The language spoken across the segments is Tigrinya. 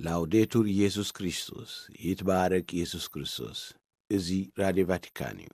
ላውዴቱር ኢየሱስ ክርስቶስ፣ ይትባረክ ኢየሱስ ክርስቶስ። እዚ ራድዮ ቫቲካን እዩ።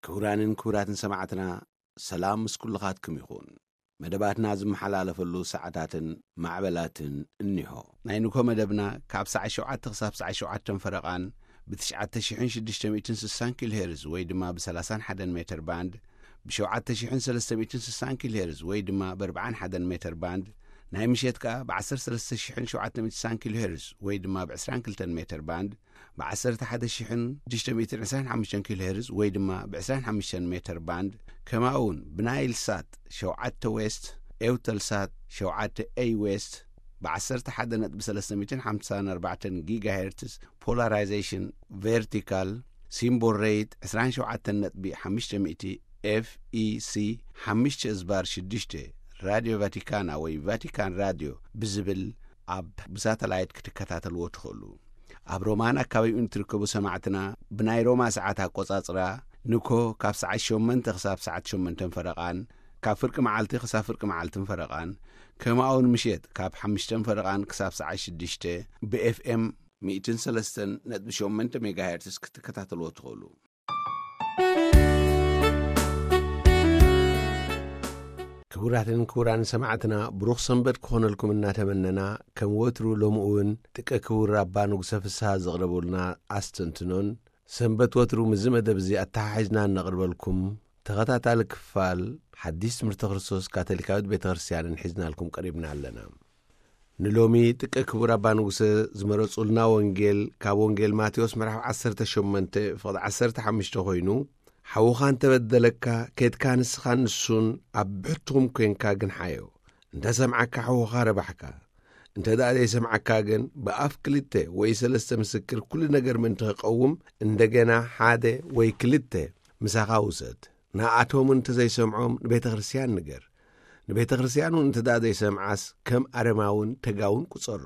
ክቡራንን ክቡራትን ሰማዕትና፣ ሰላም ምስ ኩልኻትኩም ይኹን። መደባትና ዝመሓላለፈሉ ሰዓታትን ማዕበላትን እኒሆ። ናይ ንግሆ መደብና ካብ ሰዓት ሸውዓተ ክሳብ ሰዓት ሸውዓተ ፈረቓን ብ ትሽዓተ ሽሕን ሽዱሽተ ሚእትን ስሳን ኪሎ ሄርዝ ወይ ድማ ብ ሰላሳን ሓደን ሜትር ባንድ፣ ብ ሸውዓተ ሽሕን ሰለስተ ሚእትን ስሳን ኪሎ ሄርዝ ወይ ድማ ብ ኣርባዓን ሓደን ሜትር ባንድ፣ ናይ ምሸት ከኣ ብ ዓሰርተ ሰለስተ ሽሕን ሸውዓተ ሚእትን ስሳን ኪሎ ሄርዝ ወይ ድማ ብ ዕስራን ክልተን ሜትር ባንድ፣ ብ ዓሰርተ ሓደ ሽሕን ሽዱሽተ ሚእትን ዕስራን ሓሙሽተን ኪሎ ሄርዝ ወይ ድማ ብ ዕስራን ሓሙሽተን ሜትር ባንድ፣ ከምኡ እውን ብናይል ሳት ሸውዓተ ዌስት፣ ኤውተል ሳት ሸውዓተ ኤይ ዌስት፣ ብ ዓሰርተ ሓደ ነጥቢ ሰለስተ ሚእትን ሓምሳን ኣርባዕተን ጊጋ ሄርትዝ ፖላራይዜሽን ቨርቲካል፣ ሲምቦል ሬት ዕስራን ሸውዓተን ነጥቢ ሓሙሽተ ሚእቲ ኤፍ ኢ ሲ ሓሙሽተ እዝባር ሽዱሽተ፣ ራድዮ ቫቲካና ወይ ቫቲካን ራድዮ ብዝብል ኣብ ብሳተላይት ክትከታተልዎ ትኽእሉ። ኣብ ሮማን ኣካባቢኡን እትርከቡ ሰማዕትና፣ ብናይ ሮማ ሰዓት ኣቆጻጽራ፣ ንኮ ካብ ሰዓት ሸሞንተ ክሳብ ሰዓት ሸሞንተን ፈረቓን፣ ካብ ፍርቂ መዓልቲ ክሳብ ፍርቂ መዓልትን ፈረቓን፣ ከምኡ እውን ምሸት ካብ ሓሙሽተን ፈረቓን ክሳብ ሰዓት ሽዱሽተ፣ ብ ኤፍ ኤም ሚእትን ሰለስተን ነጥቢ ሸሞንተ ሜጋሄርትስ ክትከታተልዎ ትኽእሉ። ክቡራትን ክቡራን ሰማዕትና፣ ብሩኽ ሰንበት ክኾነልኩም እናተመነና፣ ከም ወትሩ ሎሚ እውን ጥቀ ክቡር ኣባ ንጉሰ ፍስሃ ዘቕረቡልና ኣስተንትኖን፣ ሰንበት ወትሩ ምስዚ መደብ እዚ ኣተሓሒዝና እነቕርበልኩም ተኸታታሊ ክፋል ሓዲስ ትምህርቲ ክርስቶስ ካቶሊካዊት ቤተ ክርስቲያንን ሒዝናልኩም ቀሪብና ኣለና። ንሎሚ ጥቀ ክቡር ኣባ ንጉሰ ዝመረጹልና ወንጌል ካብ ወንጌል ማቴዎስ ምዕራፍ ዓሰርተ ሸሞንተ ፍቕዲ ዓሰርተ ሓሙሽተ ኮይኑ፣ "ሓውኻ እንተበደለካ፣ ኬድካ ንስኻን ንሱን ኣብ ብሕትኹም ኴንካ ግንሓዮ። እንተ ሰምዓካ፣ ሓውኻ ረባሕካ። እንተ ደኣ ዘይሰምዓካ ግን፣ ብኣፍ ክልተ ወይ ሰለስተ ምስክር ኩሉ ነገር ምእንቲ ክቐውም፣ እንደገና ሓደ ወይ ክልተ ምሳኻ ውሰድ። ንኣቶም እንተ ዘይሰምዖም፣ ንቤተ ክርስቲያን ንገር። ንቤተ ክርስቲያን እውን እንተ ደኣ ዘይሰምዓስ፣ ከም ኣረማውን ተጋውን ቁጸሮ።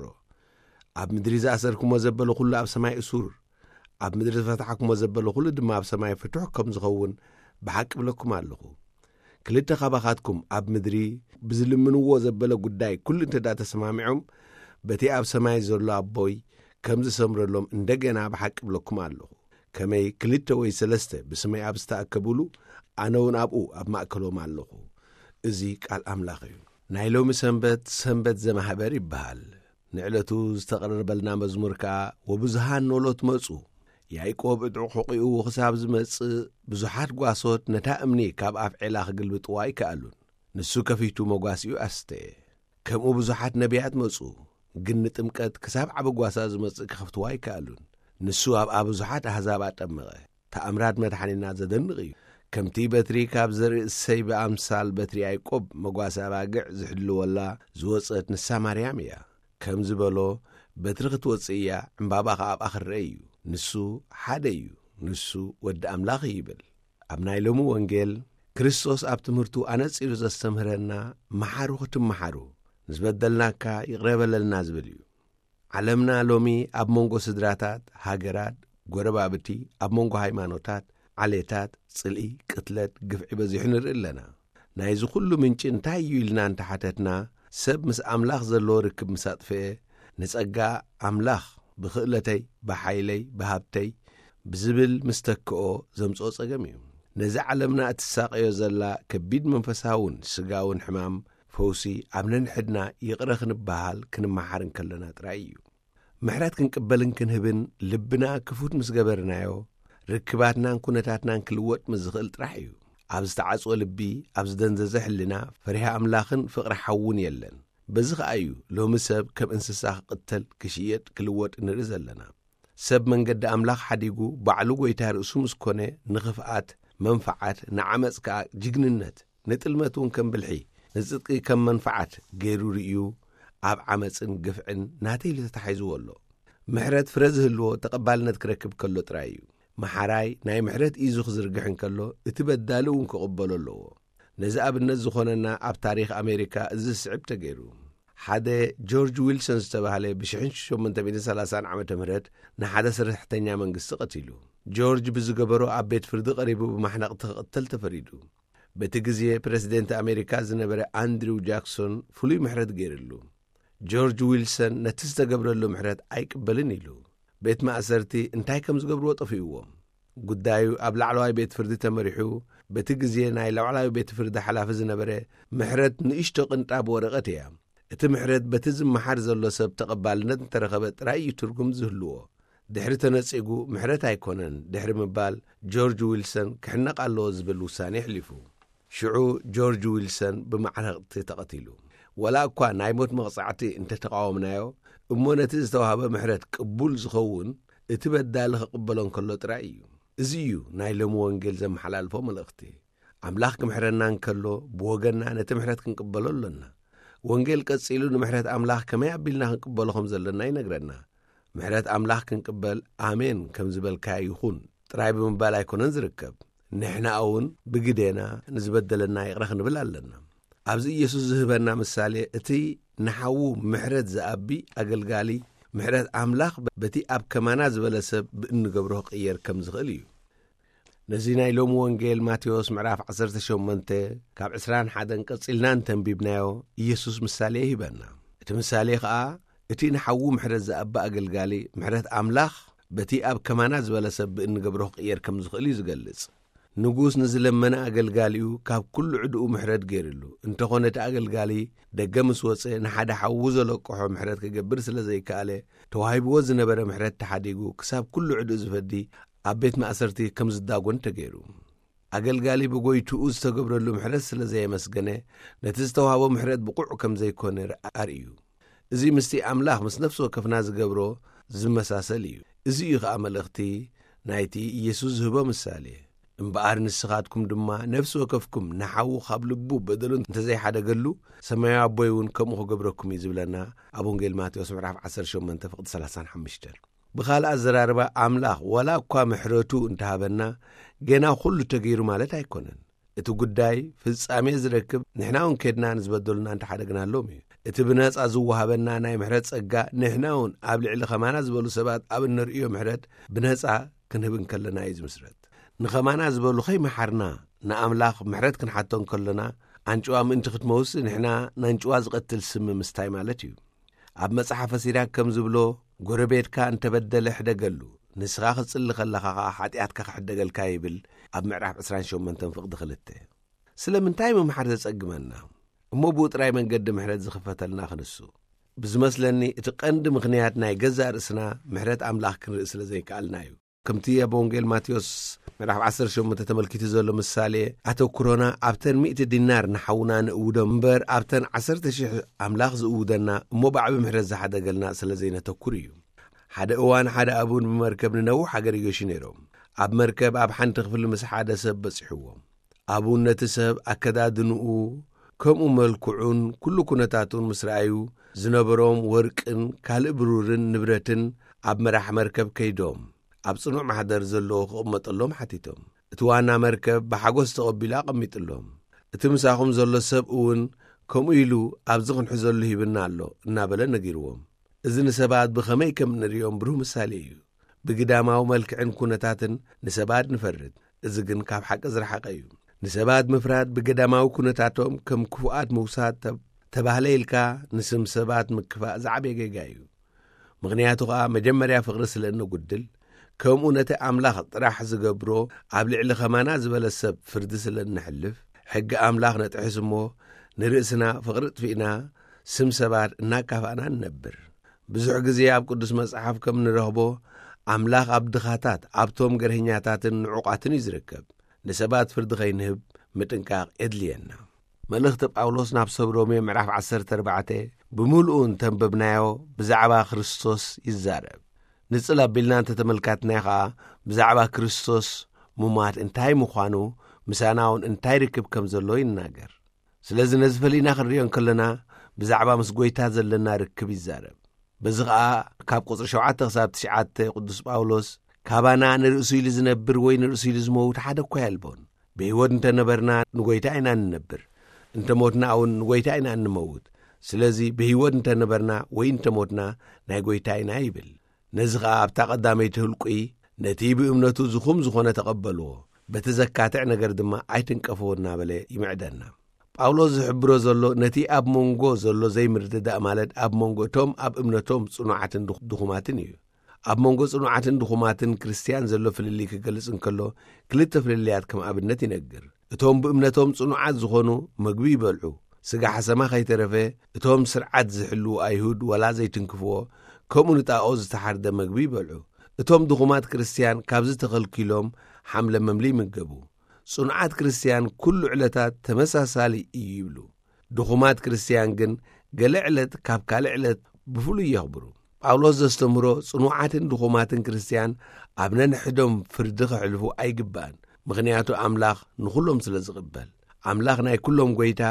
ኣብ ምድሪ ዝኣሰርኩሞ ዘበለ ኩሉ ኣብ ሰማይ እሱር፣ ኣብ ምድሪ ዝፈታሕኩሞ ዘበለ ኩሉ ድማ ኣብ ሰማይ ፍቱሕ ከም ዝኸውን ብሓቂ እብለኩም ኣለኹ። ክልተ ካባኻትኩም ኣብ ምድሪ ብዝልምንዎ ዘበለ ጉዳይ ኩሉ እንተ ደኣ ተሰማሚዖም፣ በቲ ኣብ ሰማይ ዘሎ ኣቦይ ከም ዝሰምረሎም እንደገና ብሓቂ እብለኩም ኣለኹ። ከመይ ክልተ ወይ ሰለስተ ብስመይ ኣብ ዝተኣከብሉ፣ ኣነ እውን ኣብኡ ኣብ ማእከሎም ኣለኹ።" እዚ ቃል ኣምላኽ እዩ። ናይ ሎሚ ሰንበት፣ ሰንበት ዘማህበር ይበሃል። ንዕለቱ ዝተቐረበልና መዝሙር ከኣ፣ "ወብዙሃን ኖሎት መጹ፣ ያዕቆብ ዕጥቑ ሕቑኡ ክሳብ ዝመጽእ፣ ብዙሓት ጓሶት ነታ እምኒ ካብ ኣፍ ዔላ ክግልብጥዋ ኣይከኣሉን። ንሱ ከፊቱ መጓሲኡ ኣስተየ። ከምኡ ብዙሓት ነቢያት መጹ፣ ግን ንጥምቀት ክሳብ ዓቢ ጓሳ ዝመጽእ ክኸፍትዋ ኣይከኣሉን። ንሱ ኣብኣ ብዙሓት ኣህዛብ ኣጠመቐ። ተኣምራት መድሓኒና ዘደንቕ እዩ። ከምቲ በትሪ ካብ ዘርኢ እሰይ ብኣምሳል በትሪ ያዕቆብ መጓሰ ኣባግዕ ዝሕልወላ ዝወጸት ንሳ ማርያም እያ። ከም ዝበሎ፣ በትሪ ክትወጽእ እያ፣ ዕምባባ ኸኣ ኣብኣ ክረአ እዩ። ንሱ ሓደ እዩ፣ ንሱ ወዲ ኣምላኽ እዩ ይብል። ኣብ ናይ ሎሚ ወንጌል፣ ክርስቶስ ኣብ ትምህርቱ ኣነጺሩ ዘስተምህረና፣ "መሓሩ ክትመሓሩ፣ ንዝበደልናካ ይቕረ በለልና" ዝብል እዩ። ዓለምና ሎሚ ኣብ መንጎ ስድራታት፣ ሃገራት፣ ጎረባብቲ፣ ኣብ መንጎ ሃይማኖታት፣ ዓሌታት፣ ጽልኢ፣ ቅትለት፣ ግፍዒ በዚሑ ንርኢ ኣለና። ናይዚ ኩሉ ምንጪ እንታይ እዩ ኢልና እንተሓተትና፣ ሰብ ምስ ኣምላኽ ዘለዎ ርክብ ምስ ኣጥፍኤ፣ ንጸጋ ኣምላኽ ብኽእለተይ፣ ብሓይለይ፣ ብሃብተይ ብዝብል ምስ ተክኦ ዘምጽኦ ጸገም እዩ። ነዚ ዓለምና እትሳቐዮ ዘላ ከቢድ መንፈሳውን ስጋውን ሕማም ፈውሲ ኣብ ነንሕድና ይቕረ ክንበሃል ክንመሓር እንከለና ጥራይ እዩ። ምሕረት ክንቅበልን ክንህብን ልብና ክፉት ምስ ገበርናዮ፣ ርክባትናን ኩነታትናን ክልወጥ ምስ ዝኽእል ጥራሕ እዩ። ኣብ ዝተዓጽወ ልቢ፣ ኣብ ዝደንዘዘ ሕልና፣ ፈሪሃ ኣምላኽን ፍቕሪ ሓውን የለን። በዚ ኸኣ እዩ ሎሚ ሰብ ከም እንስሳ ክቕተል፣ ክሽየጥ፣ ክልወጥ ንርኢ ዘለና። ሰብ መንገዲ ኣምላኽ ሓዲጉ፣ ባዕሉ ጐይታ ርእሱ ምስ ኮነ፣ ንኽፍኣት፣ መንፍዓት፣ ንዓመጽ ከኣ ጅግንነት፣ ንጥልመት እውን ከም ብልሒ፣ ንጽድቂ ከም መንፍዓት ገይሩ ርእዩ፣ ኣብ ዓመጽን ግፍዕን ናተይ ኢሉ ተታሒዝዎ ኣሎ። ምሕረት ፍረ ዝህልዎ ተቐባልነት ክረክብ ከሎ ጥራይ እዩ። መሓራይ ናይ ምሕረት ኢዙ ክዝርግሕ እንከሎ፣ እቲ በዳሊ እውን ክቕበሎ ኣለዎ። ነዚ ኣብነት ዝኾነና ኣብ ታሪኽ ኣሜሪካ እዚ ዝስዕብ ተገይሩ። ሓደ ጆርጅ ዊልሰን ዝተባህለ ብ ሽሕን ሸሞንተ ሚእትን ሰላሳን ዓመተ ምህረት ንሓደ ሰራሕተኛ መንግስቲ ቀቲሉ። ጆርጅ ብዝገበሮ ኣብ ቤት ፍርዲ ቀሪቡ ብማሕነቕቲ ክቕተል ተፈሪዱ። በቲ ግዜ ፕረሲደንት ኣሜሪካ ዝነበረ ኣንድሪው ጃክሶን ፍሉይ ምሕረት ገይርሉ። ጆርጅ ዊልሰን ነቲ ዝተገብረሉ ምሕረት ኣይቅበልን ኢሉ። ቤት ማእሰርቲ እንታይ ከም ዝገብርዎ ጠፊእዎም። ጉዳዩ ኣብ ላዕለዋይ ቤት ፍርዲ ተመሪሑ፣ በቲ ግዜ ናይ ላዕለዋይ ቤት ፍርዲ ሓላፊ ዝነበረ ምሕረት ንእሽቶ ቅንጣብ ወረቐት እያ። እቲ ምሕረት በቲ ዝመሓር ዘሎ ሰብ ተቐባልነት እንተረኸበ ጥራይ እዩ ትርጉም ዝህልዎ። ድሕሪ ተነጺጉ ምሕረት ኣይኮነን ድሕሪ ምባል ጆርጅ ዊልሰን ክሕነቕ ኣለዎ ዝብል ውሳኔ ኣሕሊፉ። ሽዑ ጆርጅ ዊልሰን ብማዕረቕቲ ተቐቲሉ። ወላ እኳ ናይ ሞት መቕጻዕቲ እንተተቃወምናዮ፣ እሞ ነቲ ዝተዋህበ ምሕረት ቅቡል ዝኸውን እቲ በዳሊ ክቕበሎ እንከሎ ጥራይ እዩ። እዚ እዩ ናይ ሎሚ ወንጌል ዘመሓላልፎ መልእኽቲ። ኣምላኽ ክምሕረና እንከሎ፣ ብወገንና ነቲ ምሕረት ክንቅበሎ ኣሎና። ወንጌል ቀጺሉ ንምሕረት ኣምላኽ ከመይ ኣቢልና ክንቅበሎ ከም ዘለና ይነግረና። ምሕረት ኣምላኽ ክንቅበል ኣሜን ከም ዝበልካ ይኹን ጥራይ ብምባል ኣይኮነን ዝርከብ። ንሕና እውን ብግዴና ንዝበደለና ይቕረ ክንብል ኣለና። ኣብዚ ኢየሱስ ዝህበና ምሳሌ፣ እቲ ንሓዉ ምሕረት ዝኣቢ ኣገልጋሊ፣ ምሕረት ኣምላኽ በቲ ኣብ ከማና ዝበለ ሰብ ብእንገብሮ ክቕየር ከም ዝኽእል እዩ። ነዚ ናይ ሎሚ ወንጌል ማቴዎስ ምዕራፍ ዓሰርተ ሸሞንተ ካብ ዕስራን ሓደን ቀጺልና እንተንቢብናዮ፣ ኢየሱስ ምሳሌ ይህበና። እቲ ምሳሌ ኸኣ፣ እቲ ንሓዉ ምሕረት ዝኣቢ ኣገልጋሊ፣ ምሕረት ኣምላኽ በቲ ኣብ ከማና ዝበለ ሰብ ብእንገብሮ ክቕየር ከም ዝኽእል እዩ ዝገልጽ። ንጉስ ንዝለመነ ኣገልጋሊኡ ካብ ኩሉ ዕድኡ ምሕረት ገይርሉ። እንተኾነ እቲ ኣገልጋሊ ደገ ምስ ወጸ ንሓደ ሓዉ ዘለቅሖ ምሕረት ክገብር ስለ ዘይከኣለ፣ ተዋሂብዎ ዝነበረ ምሕረት ተሓዲጉ ክሳብ ኩሉ ዕድኡ ዝፈዲ ኣብ ቤት ማእሰርቲ ከም ዝዳጎን ተገይሩ። ኣገልጋሊ ብጎይትኡ ዝተገብረሉ ምሕረት ስለ ዘየመስገነ፣ ነቲ ዝተዋህቦ ምሕረት ብቑዕ ከም ዘይኮነ ኣርእዩ። እዚ ምስቲ ኣምላኽ ምስ ነፍሲ ወከፍና ዝገብሮ ዝመሳሰል እዩ። እዚ እዩ ኸኣ መልእኽቲ ናይቲ ኢየሱስ ዝህቦ ምሳሌ። እምበኣር ንስኻትኩም ድማ ነፍሲ ወከፍኩም ንሓዉ ካብ ልቡ በደሉ እንተዘይሓደገሉ፣ ሰማያዊ ኣቦይ እውን ከምኡ ክገብረኩም እዩ ዝብለና ኣብ ወንጌል ማቴዎስ ምዕራፍ ዓሰርተ ሸሞንተ ፍቕዲ ሰላሳን ሓሙሽተን። ብኻልእ ኣዘራርባ፣ ኣምላኽ ዋላ እኳ ምሕረቱ እንተሃበና፣ ገና ኩሉ ተገይሩ ማለት ኣይኮነን። እቲ ጉዳይ ፍጻሜ ዝረክብ ንሕና እውን ኬድና ንዝበደሉና እንተሓደግናሎም እዩ። እቲ ብነጻ ዝወሃበና ናይ ምሕረት ጸጋ ንሕና እውን ኣብ ልዕሊ ኸማና ዝበሉ ሰባት ኣብ እነርእዮ ምሕረት ብነጻ ክንህብ እንከለና እዩ ዝምስረት። ንኸማና ዝበሉ ኸይመሓርና ንኣምላኽ ምሕረት ክንሓቶ እንከሎና፣ ኣንጭዋ ምእንቲ ክትመውስ ንሕና ናንጭዋ ዝቐትል ስሚ ምስታይ ማለት እዩ። ኣብ መጽሓፈ ሲራክ ከም ዝብሎ፣ "ጎረቤትካ እንተበደለ ሕደገሉ፣ ንስኻ ክትጽሊ ከለኻ ኸኣ ሓጢኣትካ ክሕደገልካ" ይብል ኣብ ምዕራፍ ዕስራን ሸሞንተን ፍቕዲ ክልተ። ስለምንታይ ምምሓር ዘጸግመና? እሞ ብኡ ጥራይ መንገዲ ምሕረት ዝኽፈተልና ክንሱ? ብዝመስለኒ እቲ ቀንዲ ምኽንያት ናይ ገዛእ ርእስና ምሕረት ኣምላኽ ክንርኢ ስለ ዘይከኣልና እዩ። ከምቲ ኣብ ወንጌል ማቴዎስ ምዕራፍ ዓሰርተ ሸሞንተ ተመልኪቱ ዘሎ ምሳሌ፣ ኣተኩሮና ኣብተን ሚእቲ ዲናር ንሓውና ንእውዶ እምበር፣ ኣብተን ዓሰርተ ሽሕ ኣምላኽ ዝእውደና እሞ ብዓቢ ምሕረት ዝሓደገልና ስለ ዘይነተኩር እዩ። ሓደ እዋን ሓደ ኣቡን ብመርከብ ንነዊሕ ሃገር ይገሹ ነይሮም። ኣብ መርከብ ኣብ ሓንቲ ክፍሊ ምስ ሓደ ሰብ በጺሕዎም። ኣቡን ነቲ ሰብ ኣከዳድንኡ፣ ከምኡ መልክዑን ኩሉ ኩነታቱን ምስ ረኣዩ፣ ዝነበሮም ወርቅን ካልእ ብሩርን ንብረትን ኣብ መራሕ መርከብ ከይዶም፣ ኣብ ጽኑዕ ማሕደር ዘለዎ ክቕመጠሎም ሓቲቶም። እቲ ዋና መርከብ ብሓጎስ ተቐቢሉ ኣቐሚጥሎም። "እቲ ምሳኹም ዘሎ ሰብ እውን ከምኡ ኢሉ ኣብዚ ክንሕዘሉ ሂብና ኣሎ" እናበለ ነጊርዎም። እዚ ንሰባት ብኸመይ ከም እንርእዮም ብሩህ ምሳሌ እዩ። ብግዳማዊ መልክዕን ኩነታትን ንሰባት ንፈርድ፣ እዚ ግን ካብ ሓቂ ዝረሓቐ እዩ። ንሰባት ምፍራድ ብገዳማዊ ኩነታቶም ከም ክፉኣት ምውሳድ ተብ-፣ ተባህለ ኢልካ ንስም ሰባት ምክፋእ ዝዓበየ ጌጋ እዩ። ምኽንያቱ ኸኣ መጀመርያ ፍቕሪ ስለ እነጉድል፣ ከምኡ ነቲ ኣምላኽ ጥራሕ ዝገብሮ ኣብ ልዕሊ ኸማና ዝበለ ሰብ ፍርዲ ስለ እነሕልፍ፣ ሕጊ ኣምላኽ ነጥሕስ እሞ ንርእስና ፍቕሪ ጥፊእና ስም ሰባት እናካፋእና ንነብር። ብዙሕ ግዜ ኣብ ቅዱስ መጽሓፍ ከም ንረኽቦ፣ ኣምላኽ ኣብ ድኻታት፣ ኣብቶም ገርህኛታትን ንዑቓትን እዩ ዝርከብ። ንሰባት ፍርዲ ኸይንህብ ምጥንቃቕ የድልየና። መልእኽቲ ጳውሎስ ናብ ሰብ ሮሜ ምዕራፍ ዓሰርተ ኣርባዕተ ብምሉኡ እንተንበብናዮ ብዛዕባ ክርስቶስ ይዛረብ። ንጽል ኣቢልና እንተተመልካትናዮ ኸኣ ብዛዕባ ክርስቶስ ሙማት እንታይ ምዃኑ፣ ምሳና እውን እንታይ ርክብ ከም ዘለዎ ይናገር። ስለዚ ነዚ ፈሊና ክንርእዮ እንከለና ብዛዕባ ምስ ጐይታ ዘለና ርክብ ይዛረብ። በዚ ኸኣ ካብ ቁጽሪ ሸውዓተ ክሳብ ትሽዓተ ቅዱስ ጳውሎስ ካባና ንርእሱ ኢሉ ዝነብር ወይ ንርእሱ ኢሉ ዝመውት ሓደ እኳ የልቦን። ብህይወት እንተነበርና ንጎይታ ኢና እንነብር፣ እንተ ሞትና እውን ንጎይታ ኢና እንመውት። ስለዚ ብህይወት እንተነበርና ወይ እንተ ሞትና ናይ ጎይታ ኢና ይብል። ነዚ ኸኣ ኣብታ ቀዳመይቲ ህልቁይ ነቲ ብእምነቱ ዝኹም ዝኾነ ተቐበልዎ፣ በቲ ዘካትዕ ነገር ድማ ኣይትንቀፍዎ እናበለ ይምዕደና። ጳውሎስ ዝሕብሮ ዘሎ ነቲ ኣብ መንጎ ዘሎ ዘይምርድዳእ፣ ማለት ኣብ መንጎ እቶም ኣብ እምነቶም ጽኑዓትን ድኹ- ድኹማትን እዩ። ኣብ መንጎ ጽኑዓትን ድኹማትን ክርስትያን ዘሎ ፍልልይ ክገልጽ እንከሎ፣ ክልተ ፍልልያት ከም ኣብነት ይነግር። እቶም ብእምነቶም ጽኑዓት ዝኾኑ መግቢ ይበልዑ፣ ስጋ ሓሰማ ከይተረፈ እቶም ስርዓት ዝሕልዉ ኣይሁድ ወላ ዘይትንክፍዎ፣ ከምኡ ንጣኦ ዝተሓርደ መግቢ ይበልዑ። እቶም ድኹማት ክርስትያን ካብዚ ተኸልኪሎም ሓምለ መምሊ ይምገቡ። ጽኑዓት ክርስትያን ኩሉ ዕለታት ተመሳሳሊ እዩ ይብሉ። ድኹማት ክርስትያን ግን ገለ ዕለት ካብ ካልእ ዕለት ብፍሉይ የኽብሩ። ጳውሎስ ዘስተምህሮ ጽኑዓትን ድኹማትን ክርስትያን ኣብ ነንሕዶም ፍርዲ ከሕልፉ ኣይግባእን፣ ምኽንያቱ ኣምላኽ ንኹሎም ስለ ዝቕበል። ኣምላኽ ናይ ኩሎም ጎይታ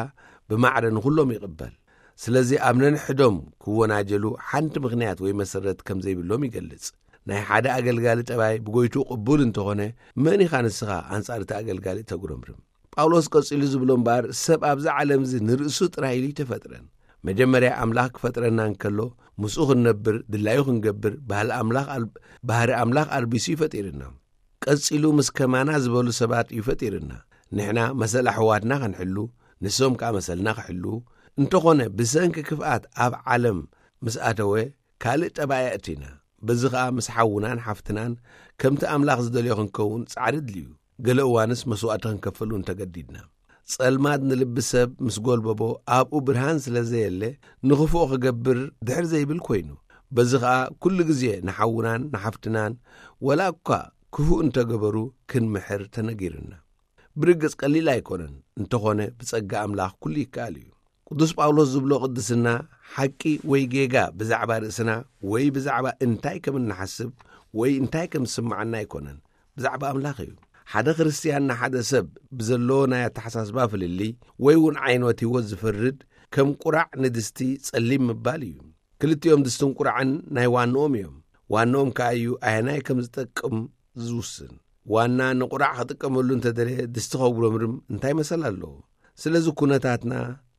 ብማዕረ ንኹሎም ይቕበል። ስለዚ ኣብ ነንሕዶም ክወናጀሉ ሓንቲ ምኽንያት ወይ መሰረት ከም ዘይብሎም ይገልጽ። ናይ ሓደ ኣገልጋሊ ጠባይ ብጎይቱ ቅቡል እንተኾነ፣ መን ኢኻ ንስኻ ኣንጻር እቲ ኣገልጋሊ ተጉረምርም? ጳውሎስ ቀጺሉ ዝብሎ እምበኣር፣ ሰብ ኣብዚ ዓለም እዚ ንርእሱ ጥራይ ኢሉ ኣይተፈጥረን። መጀመርያ ኣምላኽ ክፈጥረና እንከሎ፣ ምስኡ ክንነብር፣ ድላዩ ክንገብር፣ ባህሊ ኣምላኽ ኣል-፣ ባህሪ ኣምላኽ ኣልቢሱ እዩ ፈጢርና። ቀጺሉ ምስ ከማና ዝበሉ ሰባት እዩ ፈጢርና። ንሕና መሰል ኣሕዋትና ክንሕሉ፣ ንሶም ከኣ መሰልና ክሕሉ። እንተኾነ ብሰንኪ ክፍኣት ኣብ ዓለም ምስ ኣተወ፣ ካልእ ጠባይ ኣእቲና። በዚ ኸኣ ምስ ሓውናን ሓፍትናን ከምቲ ኣምላኽ ዝደልዮ ክንከውን ጻዕሪ ድልዩ። ገለ እዋንስ መስዋእቲ ክንከፈሉ እንተገዲድና። ጸልማት ንልቢ ሰብ ምስ ጎልበቦ፣ ኣብኡ ብርሃን ስለ ዘየለ፣ ንኽፉኦ ክገብር ድሕር ዘይብል ኮይኑ። በዚ ኸኣ ኩሉ ግዜ ንሓውናን ንሓፍትናን ወላ እኳ ክፉእ እንተገበሩ ክንምሕር ተነጊርና። ብርግጽ ቀሊል ኣይኮነን፣ እንተኾነ ብጸጋ ኣምላኽ ኩሉ ይከኣል እዩ። ቅዱስ ጳውሎስ ዝብሎ ቅድስና ሓቂ ወይ ጌጋ ብዛዕባ ርእስና ወይ ብዛዕባ እንታይ ከም እንሓስብ ወይ እንታይ ከም ዝስምዓና ኣይኮነን፣ ብዛዕባ ኣምላኽ እዩ። ሓደ ክርስትያን ንሓደ ሰብ ብዘለዎ ናይ ኣተሓሳስባ ፍልልይ ወይ እውን ዓይነት ህይወት ዝፈርድ ከም ቁራዕ ንድስቲ ጸሊም ምባል እዩ። ክልቲኦም ድስትን ቁራዕን ናይ ዋንኦም እዮም። ዋንኦም ከኣ እዩ ኣየናይ ከም ዝጠቅም ዝውስን። ዋና ንቁራዕ ክጥቀመሉ እንተደለየ ድስቲ ከጉረምርም እንታይ መሰል ኣለዎ? ስለዚ ኩነታትና፣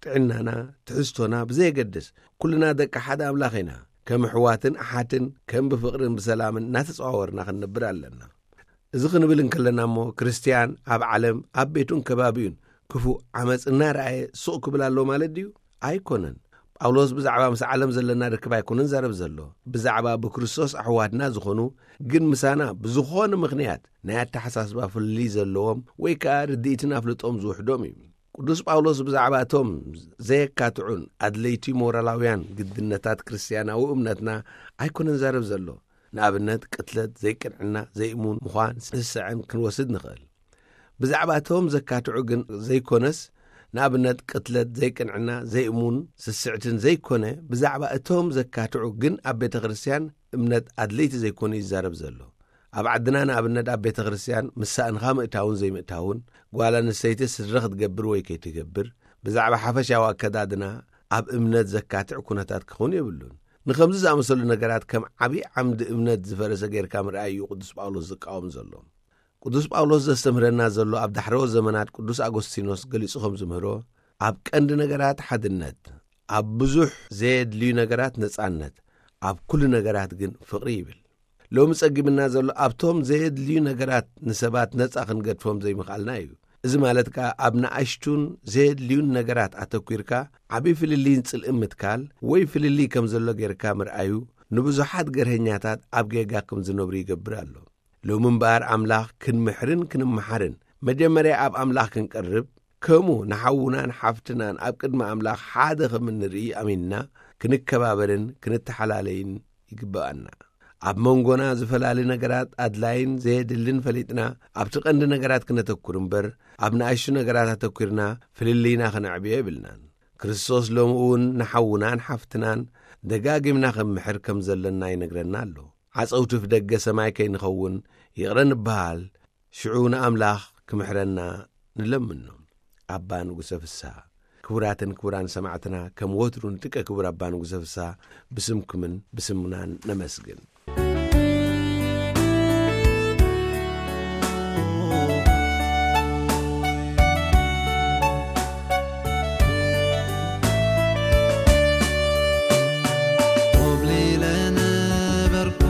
ጥዕናና፣ ትሕዝቶና ብዘየገድስ፣ ኩልና ደቂ ሓደ ኣምላኽ ኢና። ከም ኣሕዋትን ኣሓትን፣ ከም ብፍቕርን ብሰላምን እናተጸዋወርና ክንነብር ኣለና። እዚ ክንብል እንከለና እሞ፣ ክርስትያን ኣብ ዓለም፣ ኣብ ቤቱን ከባቢኡን ክፉእ ዓመጽ እናረኣየ ሱቕ ክብል ኣለዎ ማለት ድዩ? ኣይኮነን። ጳውሎስ ብዛዕባ ምስ ዓለም ዘለና ርክብ ኣይኮነን ዛረብ ዘሎ። ብዛዕባ ብክርስቶስ ኣሕዋትና ዝኾኑ፣ ግን ምሳና ብዝኾነ ምኽንያት ናይ ኣተሓሳስባ ፍልልይ ዘለዎም ወይ ከኣ ርድኢትን ኣፍልጦም ዝውሕዶም እዩ። ቅዱስ ጳውሎስ ብዛዕባ እቶም ዘየካትዑን ኣድለይቲ ሞራላውያን ግድነታት ክርስትያናዊ እምነትና ኣይኮነን ዛረብ ዘሎ። ንኣብነት፣ ቅትለት፣ ዘይቅንዕና፣ ዘይእሙን ምዃን፣ ስስዐን ክንወስድ ንኽእል። ብዛዕባ እቶም ዘካትዑ ግን ዘይኮነስ፣ ንኣብነት፣ ቅትለት፣ ዘይቅንዕና፣ ዘይእሙን፣ ስስዕትን ዘይኮነ፣ ብዛዕባ እቶም ዘካትዑ ግን ኣብ ቤተ ክርስትያን እምነት ኣድለይቲ ዘይኮኑ ይዛረብ ዘሎ። ኣብ ዓድና ንኣብነት ኣብ ቤተ ክርስትያን ምስ ሳእንኻ ምእታውን ዘይምእታውን፣ ጓል ኣንስተይቲ ስድሪ ክትገብር ወይ ከይትገብር፣ ብዛዕባ ሓፈሻዊ ኣከዳድና ኣብ እምነት ዘካትዕ ኩነታት ክኸውን የብሉን። ንኸምዚ ዝኣመሰሉ ነገራት ከም ዓብዪ ዓምዲ እምነት ዝፈረሰ ጌርካ ምርኣይ እዩ ቅዱስ ጳውሎስ ዝቃወም ዘሎ። ቅዱስ ጳውሎስ ዘስተምህረና ዘሎ ኣብ ዳሕረዎት ዘመናት ቅዱስ ኣጎስቲኖስ ገሊጹ ከም ዝምህሮ፣ ኣብ ቀንዲ ነገራት ሓድነት፣ ኣብ ብዙሕ ዘየድልዩ ነገራት ነጻነት፣ ኣብ ኩሉ ነገራት ግን ፍቕሪ ይብል። ሎሚ ጸጊምና ዘሎ ኣብቶም ዘየድልዩ ነገራት ንሰባት ነጻ ክንገድፎም ዘይምኽኣልና እዩ። እዚ ማለት ከኣ ኣብ ንኣሽቱን ዘየድልዩን ነገራት ኣተኲርካ ዓቢ ፍልልይን ጽልእን ምትካል ወይ ፍልልይ ከም ዘሎ ጌርካ ምርኣዩ ንብዙሓት ገርሀኛታት ኣብ ጌጋ ከም ዝነብሩ ይገብር ኣሎ። ሎሚ እምበኣር ኣምላኽ ክንምሕርን ክንመሓርን መጀመርያ ኣብ ኣምላኽ ክንቀርብ፣ ከምኡ ንሓውናን ሓፍትናን ኣብ ቅድሚ ኣምላኽ ሓደ ከም እንርኢ ኣሚንና ክንከባበርን ክንተሓላለይን ይግብኣና። ኣብ መንጎና ዝፈላሊ ነገራት ኣድላይን ዘየድልን ፈሊጥና ኣብቲ ቀንዲ ነገራት ክነተኩር እምበር ኣብ ንኣሽቱ ነገራት ኣተኲርና ፍልልይና ክነዕብዮ የብልናን። ክርስቶስ ሎሚ እውን ንሓውናን ሓፍትናን ደጋጊምና ክንምሕር ከም ዘለና ይነግረና ኣሎ። ዓጸውቲ ደገ ሰማይ ከይንኸውን ይቕረ ንበሃል፣ ሽዑ ንኣምላኽ ክምሕረና ንለምኖ። ኣባ ንጉሰ ፍስሃ። ክቡራትን ክቡራን ሰማዕትና፣ ከም ወትሩ ንጥቀ ክቡር ኣባ ንጉሰ ፍስሃ ብስምኩምን ብስምናን ነመስግን። ኮብሊለ ነበርኩ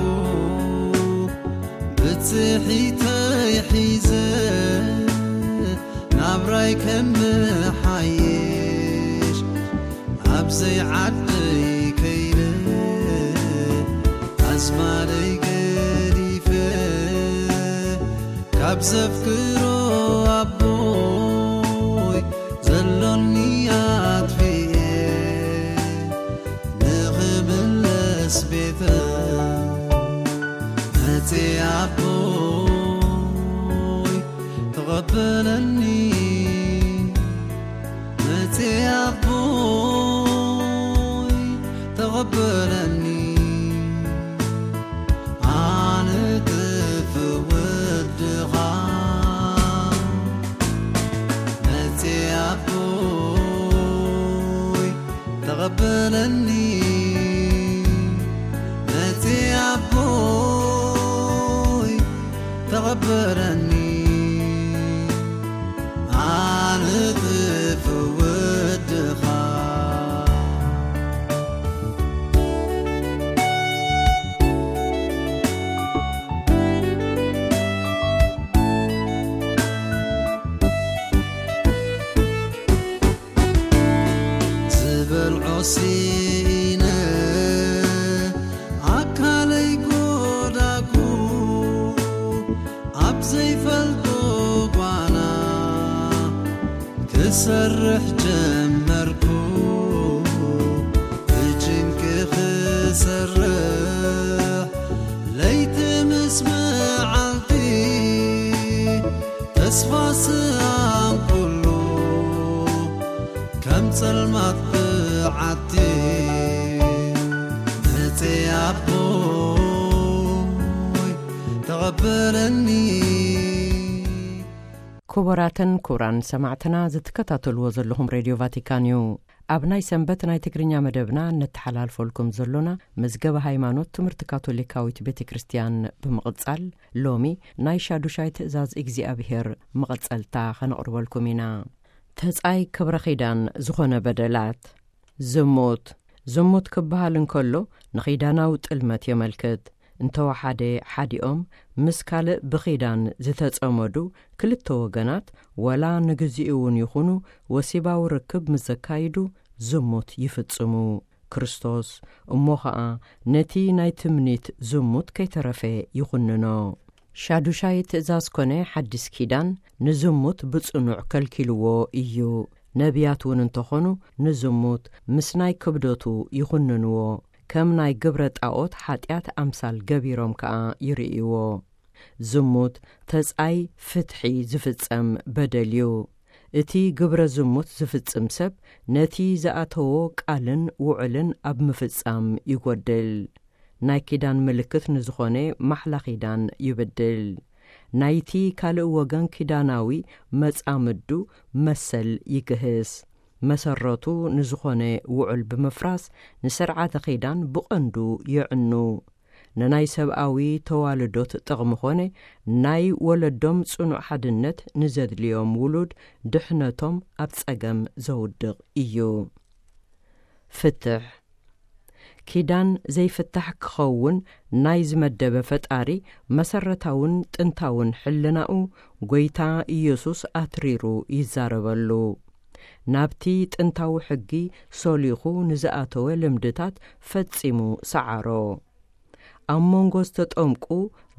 ብጽሒተይ ሒዘ ናብራይ ከመሓይሽ ኣብ ዘይዓደይ ከይደ ኣዝማደይ ገዲፈ ካብ ዘፍቅሮ ኣቦይ ዘሎኒ ኣጥፊኤ ንኽምለስ ቤተ መጽ ኣቦይ ተቐበለኒ መጽ ኣቦይ ተቐበለኒ ኣነ ጥፍ ወድኻ መጽ ኣቦይ ተቐበለኒ መጽ ኣቦይ ተቐበለኒ ኣነ ጥፍ ወድኻ ዝበልዖ ሲኢነ ኣካለይ ጎዳጉ ኣብ ዘይፈልጦ ጓና ክሰርሕ ጀመርኩ ብጭንቂ ክሰርሕ ለይቲ ምስ መዓልቲ ተስፋ ስኣንኩሉ ከም ጸልማት ብዓቲ መጽ ኣቦይ ተቐበለኒ ክቡራትን ክቡራን ሰማዕትና ዝትከታተልዎ ዘለኹም ሬድዮ ቫቲካን እዩ። ኣብ ናይ ሰንበት ናይ ትግርኛ መደብና ነተሓላልፈልኩም ዘሎና መዝገበ ሃይማኖት ትምህርቲ ካቶሊካዊት ቤተ ክርስቲያን ብምቕጻል ሎሚ ናይ ሻዱሻይ ትእዛዝ እግዚኣብሔር መቐጸልታ ኸነቕርበልኩም ኢና። ተጻይ ክብረ ኺዳን ዝኾነ በደላት ዝሙት ዝሙት ክበሃል እንከሎ ንኺዳናዊ ጥልመት የመልክት። እንተወሓደ ሓዲኦም ምስ ካልእ ብኺዳን ዝተጸመዱ ክልተ ወገናት ወላ ንግዚኡ እውን ይኹኑ ወሲባዊ ርክብ ምስ ዘካይዱ ዝሙት ይፍጽሙ። ክርስቶስ እሞ ኸኣ ነቲ ናይ ትምኒት ዝሙት ከይተረፈ ይኹንኖ። ሻዱሻይ ትእዛዝ ኮነ ሓዲስ ኪዳን ንዝሙት ብጽኑዕ ከልኪልዎ እዩ። ነቢያት እውን እንተኾኑ ንዝሙት ምስ ናይ ክብደቱ ይኹንንዎ። ከም ናይ ግብረ ጣዖት ሓጢኣት ኣምሳል ገቢሮም ከኣ ይርእይዎ። ዝሙት ተጻይ ፍትሒ ዝፍጸም በደል እዩ። እቲ ግብረ ዝሙት ዝፍጽም ሰብ ነቲ ዝኣተዎ ቃልን ውዕልን ኣብ ምፍጻም ይጎድል። ናይ ኪዳን ምልክት ንዝኾነ ማሕላ ኪዳን ይብድል። ናይቲ ካልእ ወገን ኪዳናዊ መጻምዱ መሰል ይግህስ። መሰረቱ ንዝኾነ ውዑል ብምፍራስ ንስርዓተ ኪዳን ብቐንዱ የዕኑ። ንናይ ሰብኣዊ ተዋልዶት ጥቕሚ ኾነ ናይ ወለዶም ጽኑዕ ሓድነት ንዘድልዮም ውሉድ ድሕነቶም ኣብ ጸገም ዘውድቕ እዩ። ፍትሕ ኪዳን ዘይፍታሕ ክኸውን ናይ ዝመደበ ፈጣሪ መሰረታውን ጥንታውን ሕልናኡ ጐይታ ኢየሱስ ኣትሪሩ ይዛረበሉ። ናብቲ ጥንታዊ ሕጊ ሶሊኹ ንዝኣተወ ልምድታት ፈጺሙ ሰዓሮ። ኣብ መንጎ ዝተጠምቁ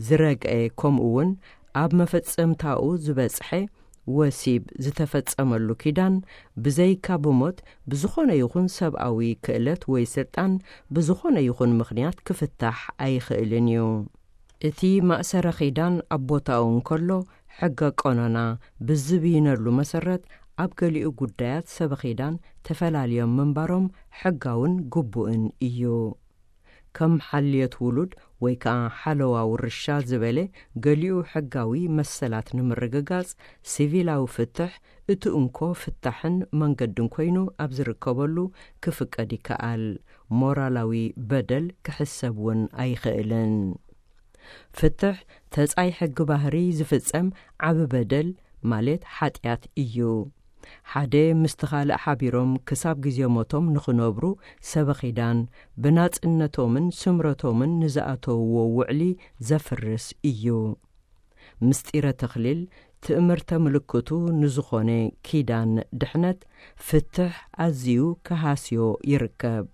ዝረግዐ ከምኡ እውን ኣብ መፈጸምታኡ ዝበጽሐ ወሲብ ዝተፈጸመሉ ኪዳን ብዘይካ ብሞት ብዝኾነ ይኹን ሰብኣዊ ክእለት ወይ ስልጣን ብዝኾነ ይኹን ምኽንያት ክፍታሕ ኣይኽእልን እዩ። እቲ ማእሰረ ኺዳን ኣብ ቦታኡ እንከሎ፣ ሕገ ቀኖና ብዝብይነሉ መሰረት፣ ኣብ ገሊኡ ጉዳያት ሰበ ኺዳን ተፈላልዮም ምንባሮም ሕጋውን ግቡእን እዩ። ከም ሓልዮት ውሉድ ወይ ከኣ ሓለዋ ውርሻ ዝበለ ገሊኡ ሕጋዊ መሰላት ንምርግጋጽ፣ ሲቪላዊ ፍትሕ እቲ እንኮ ፍታሕን መንገድን ኮይኑ ኣብ ዝርከበሉ ክፍቀድ ይከኣል። ሞራላዊ በደል ክሕሰብ እውን ኣይኽእልን። ፍትሕ ተጻይ ሕጊ ባህሪ ዝፍጸም ዓቢ በደል ማለት ሓጢኣት እዩ። ሓደ ምስቲ ካልእ ሓቢሮም ክሳብ ግዜ ሞቶም ንኽነብሩ ሰበኺዳን ብናጽነቶምን ስምረቶምን ንዝኣተውዎ ውዕሊ ዘፍርስ እዩ። ምስጢረ ተኽሊል ትእምርተ ምልክቱ ንዝኾነ ኪዳን ድሕነት ፍትሕ ኣዝዩ ክሃስዮ ይርከብ።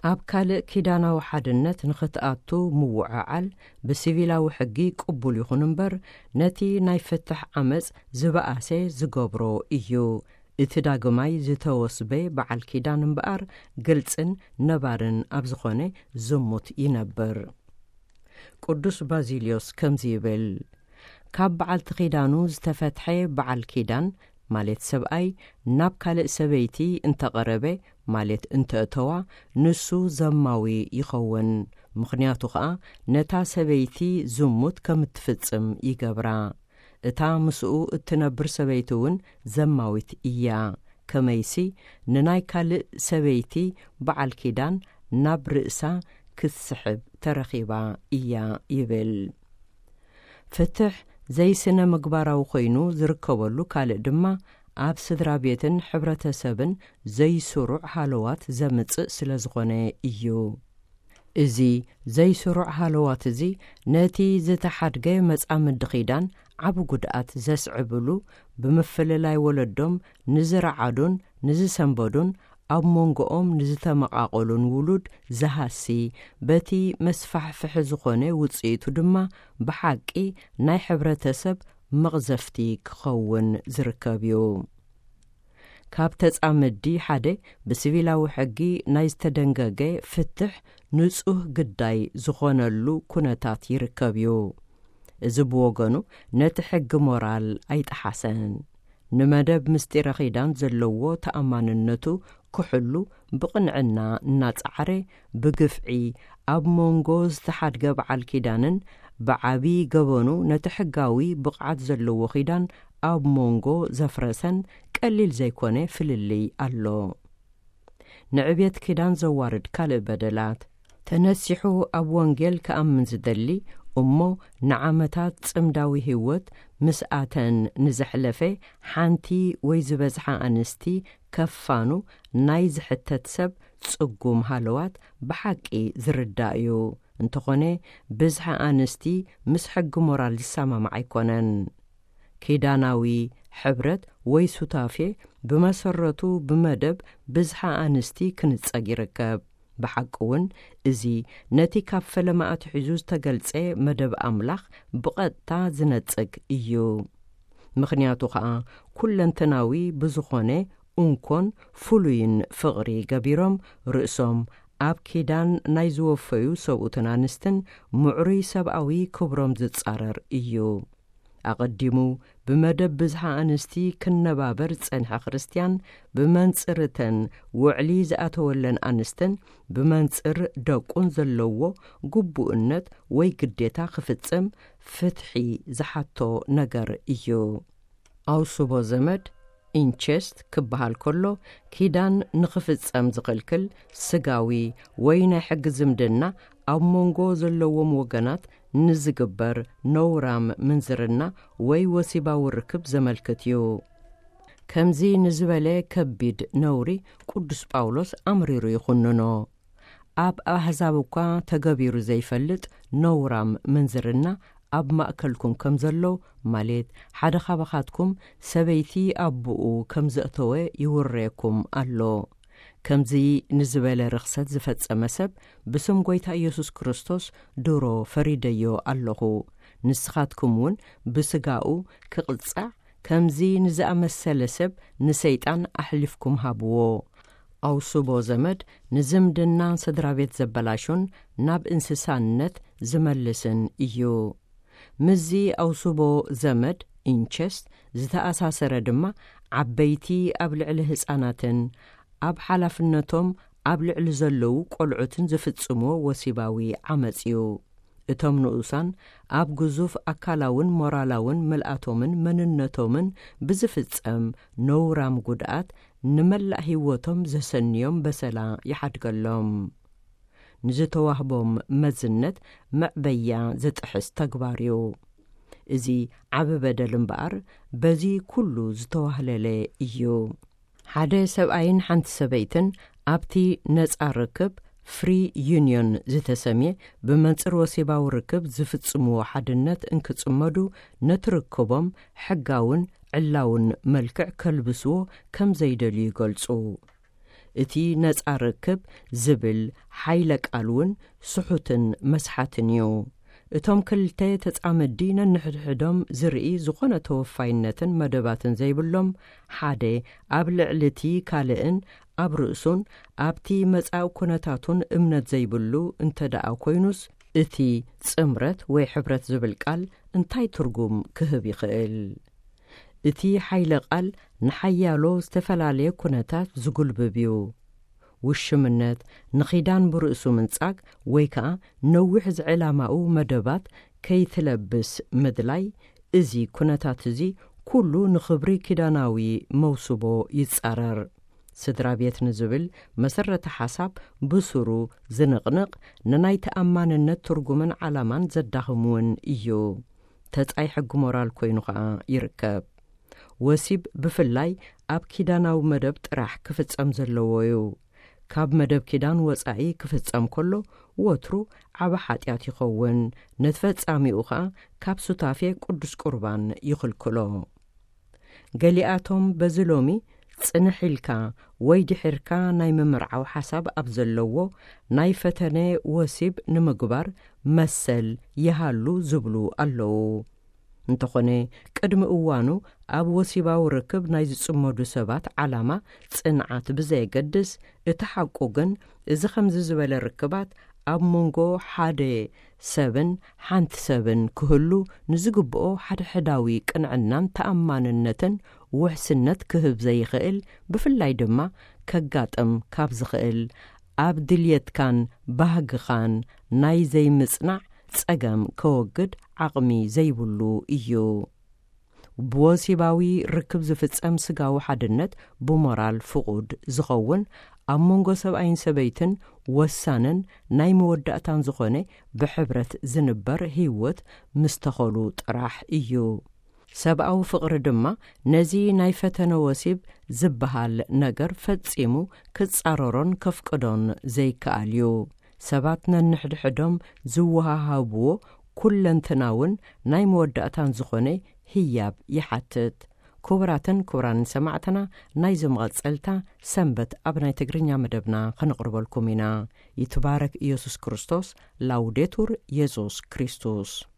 ኣብ ካልእ ኪዳናዊ ሓድነት ንኽትኣቱ ምውዕዓል ብሲቪላዊ ሕጊ ቅቡል ይኹን እምበር፣ ነቲ ናይ ፍትሕ ዓመጽ ዝበኣሰ ዝገብሮ እዩ። እቲ ዳግማይ ዝተወስበ በዓል ኪዳን እምበኣር ግልጽን ነባርን ኣብ ዝኾነ ዝሙት ይነብር። ቅዱስ ባዚልዮስ ከምዚ ይብል፣ ካብ በዓልቲ ኪዳኑ ዝተፈትሐ በዓል ኪዳን ማለት ሰብኣይ ናብ ካልእ ሰበይቲ እንተቐረበ ማለት እንተእተዋ፣ ንሱ ዘማዊ ይኸውን። ምኽንያቱ ኸኣ ነታ ሰበይቲ ዝሙት ከም እትፍጽም ይገብራ። እታ ምስኡ እትነብር ሰበይቲ እውን ዘማዊት እያ። ከመይሲ ንናይ ካልእ ሰበይቲ በዓል ኪዳን ናብ ርእሳ ክትስሕብ ተረኺባ እያ ይብል። ፍትሕ ዘይስነ ምግባራዊ ኮይኑ ዝርከበሉ ካልእ ድማ ኣብ ስድራ ቤትን ሕብረተሰብን ዘይስሩዕ ሃለዋት ዘምጽእ ስለ ዝኾነ እዩ። እዚ ዘይስሩዕ ሃለዋት እዚ ነቲ ዝተሓድገ መጻምዲ ኪዳን ዓቢ ጉድኣት ዘስዕብሉ፣ ብምፍልላይ ወለዶም ንዝረዓዱን ንዝሰንበዱን ኣብ መንጎኦም ንዝተመቓቐሉን ውሉድ ዝሃሲ፣ በቲ መስፋሕፍሒ ዝኾነ ውጽኢቱ ድማ ብሓቂ ናይ ሕብረተሰብ መቕዘፍቲ ክኸውን ዝርከብ እዩ። ካብ ተጻመዲ ሓደ ብሲቪላዊ ሕጊ ናይ ዝተደንገገ ፍትሕ ንጹህ ግዳይ ዝኾነሉ ኩነታት ይርከብ እዩ። እዚ ብወገኑ ነቲ ሕጊ ሞራል ኣይጠሓሰን። ንመደብ ምስጢረ ኪዳን ዘለዎ ተኣማንነቱ ክሕሉ ብቕንዕና እናጸዓረ፣ ብግፍዒ ኣብ መንጎ ዝተሓድገ በዓል ኪዳንን ብዓቢ ገበኑ ነቲ ሕጋዊ ብቕዓት ዘለዎ ኪዳን ኣብ መንጎ ዘፍረሰን ቀሊል ዘይኮነ ፍልልይ ኣሎ። ንዕብየት ኪዳን ዘዋርድ ካልእ በደላት። ተነሲሑ ኣብ ወንጌል ክኣምን ዝደሊ እሞ ንዓመታት ጽምዳዊ ህይወት ምስኣተን ንዘሕለፈ ሓንቲ ወይ ዝበዝሓ ኣንስቲ ከፋኑ ናይ ዝሕተት ሰብ ጽጉም ሃለዋት ብሓቂ ዝርዳእ እዩ። እንተኾነ ብዝሓ ኣንስቲ ምስ ሕጊ ሞራል ዝሰማማዕ ኣይኮነን። ኪዳናዊ ሕብረት ወይ ሱታፌ ብመሰረቱ ብመደብ ብዝሓ ኣንስቲ ክንጸግ ይርከብ። ብሓቂ እውን እዚ ነቲ ካብ ፈለማ ኣትሒዙ ዝተገልጸ መደብ ኣምላኽ ብቐጥታ ዝነጽግ እዩ። ምኽንያቱ ኸኣ ኩለንተናዊ ብዝኾነ እንኮን ፍሉይን ፍቕሪ ገቢሮም ርእሶም ኣብ ኪዳን ናይ ዝወፈዩ ሰብኡትን ኣንስትን ምዕሩይ ሰብኣዊ ክብሮም ዝጻረር እዩ። ኣቐዲሙ ብመደብ ብዝሓ ኣንስቲ ክነባበር ዝጸንሐ ክርስትያን ብመንጽርተን ውዕሊ ዝኣተወለን ኣንስትን ብመንጽር ደቁን ዘለዎ ግቡእነት ወይ ግዴታ ክፍጽም ፍትሒ ዝሓቶ ነገር እዩ። ኣውስቦ ዘመድ፣ ኢንቸስት፣ ክበሃል ከሎ ኪዳን ንኽፍጸም ዝኽልክል ስጋዊ ወይ ናይ ሕጊ ዝምድና ኣብ መንጎ ዘለዎም ወገናት ንዝግበር ነውራም ምንዝርና ወይ ወሲባዊ ርክብ ዘመልክት እዩ። ከምዚ ንዝበለ ከቢድ ነውሪ ቅዱስ ጳውሎስ ኣምሪሩ ይኹንኖ። ኣብ ኣህዛብ እኳ ተገቢሩ ዘይፈልጥ ነውራም ምንዝርና ኣብ ማእከልኩም ከም ዘሎ፣ ማለት ሓደ ካባኻትኩም ሰበይቲ ኣቦኡ ከም ዘእተወ ይውረየኩም ኣሎ። ከምዚ ንዝበለ ርኽሰት ዝፈጸመ ሰብ ብስም ጐይታ ኢየሱስ ክርስቶስ ድሮ ፈሪደዮ ኣለኹ። ንስኻትኩም እውን ብስጋኡ ክቕጻዕ ከምዚ ንዝኣመሰለ ሰብ ንሰይጣን ኣሕሊፍኩም ሃብዎ። ኣውስቦ ዘመድ ንዝምድናን ስድራ ቤት ዘበላሹን ናብ እንስሳነት ዝመልስን እዩ። ምስዚ ኣውስቦ ዘመድ፣ ኢንቸስት፣ ዝተኣሳሰረ ድማ ዓበይቲ ኣብ ልዕሊ ህጻናትን ኣብ ሓላፍነቶም ኣብ ልዕሊ ዘለዉ ቆልዑትን ዝፍጽምዎ ወሲባዊ ዓመጽ እዩ። እቶም ንኡሳን ኣብ ግዙፍ ኣካላውን ሞራላውን ምልኣቶምን መንነቶምን ብዝፍጸም ነውራም ጉድኣት ንመላእ ህይወቶም ዘሰንዮም በሰላ ይሓድገሎም። ንዝተዋህቦም መዝነት መዕበያ ዝጥሕስ ተግባር እዩ። እዚ ዓቢ በደል እምበኣር በዚ ኩሉ ዝተዋህለለ እዩ። ሓደ ሰብኣይን ሓንቲ ሰበይትን ኣብቲ ነጻ ርክብ ፍሪ ዩኒዮን ዝተሰምየ ብመንጽር ወሲባዊ ርክብ ዝፍጽምዎ ሓድነት እንክጽመዱ ነቲ ርክቦም ሕጋውን ዕላውን መልክዕ ከልብስዎ ከም ዘይደልዩ ይገልጹ። እቲ ነጻ ርክብ ዝብል ሓይለ ቃል እውን ስሑትን መስሓትን እዩ። እቶም ክልተ ተጻመዲ ነንሕድሕዶም ዝርኢ ዝኾነ ተወፋይነትን መደባትን ዘይብሎም፣ ሓደ ኣብ ልዕሊ እቲ ካልእን ኣብ ርእሱን ኣብቲ መጻኢ ኩነታቱን እምነት ዘይብሉ እንተ ደኣ ኮይኑስ፣ እቲ ጽምረት ወይ ሕብረት ዝብል ቃል እንታይ ትርጉም ክህብ ይኽእል? እቲ ሓይለ ቃል ንሓያሎ ዝተፈላለየ ኩነታት ዝጉልብብ እዩ። ውሽምነት፣ ንኺዳን ብርእሱ ምንጻግ ወይ ከኣ ነዊሕ ዝዕላማኡ መደባት ከይትለብስ ምድላይ፣ እዚ ኩነታት እዚ ኩሉ ንኽብሪ ኪዳናዊ መውስቦ ይጻረር። ስድራ ቤት ንዝብል መሰረተ ሓሳብ ብሱሩ ዝንቕንቕ፣ ንናይ ተኣማንነት ትርጉምን ዓላማን ዘዳኽም እውን እዩ። ተጻይ ሕጊ ሞራል ኮይኑ ኸኣ ይርከብ። ወሲብ ብፍላይ ኣብ ኪዳናዊ መደብ ጥራሕ ክፍጸም ዘለዎ እዩ። ካብ መደብ ኪዳን ወጻኢ ክፍጸም ከሎ ወትሩ ዓቢ ሓጢኣት ይኸውን። ነቲ ፈጻሚኡ ኸኣ ካብ ሱታፌ ቅዱስ ቁርባን ይኽልክሎ። ገሊኣቶም በዚ ሎሚ ጽንሕ ኢልካ ወይ ድሒርካ ናይ ምምርዓው ሓሳብ ኣብ ዘለዎ ናይ ፈተነ ወሲብ ንምግባር መሰል ይሃሉ ዝብሉ ኣለዉ። እንተኾነ፣ ቅድሚ እዋኑ ኣብ ወሲባዊ ርክብ ናይ ዝጽመዱ ሰባት ዓላማ ጽንዓት ብዘየገድስ፣ እቲ ሓቁ ግን እዚ ከምዚ ዝበለ ርክባት ኣብ መንጎ ሓደ ሰብን ሓንቲ ሰብን ክህሉ ንዝግብኦ ሓድሕዳዊ ቅንዕናን ተኣማንነትን ውሕስነት ክህብ ዘይኽእል፣ ብፍላይ ድማ ከጋጥም ካብ ዝኽእል ኣብ ድልየትካን ባህግኻን ናይ ዘይምጽናዕ ጸገም ከወግድ ዓቕሚ ዘይብሉ እዩ። ብወሲባዊ ርክብ ዝፍጸም ስጋዊ ሓድነት ብሞራል ፍቑድ ዝኸውን፣ ኣብ መንጎ ሰብኣይን ሰበይትን ወሳንን ናይ መወዳእታን ዝኾነ ብሕብረት ዝንበር ህይወት ምስ ተኸሉ ጥራሕ እዩ። ሰብኣዊ ፍቕሪ ድማ ነዚ ናይ ፈተነ ወሲብ ዝበሃል ነገር ፈጺሙ ክጻረሮን ከፍቅዶን ዘይከኣል እዩ። ሰባት ነንሕድሕዶም ዝወሃሃብዎ ኩለንትናውን ናይ መወዳእታን ዝኾነ ህያብ ይሓትት። ክቡራትን ክቡራንን ሰማዕትና፣ ናይዚ መቐጸልታ ሰንበት ኣብ ናይ ትግርኛ መደብና ከነቕርበልኩም ኢና። ይትባረክ ኢየሱስ ክርስቶስ። ላውዴቱር ኢየሱስ ክርስቶስ።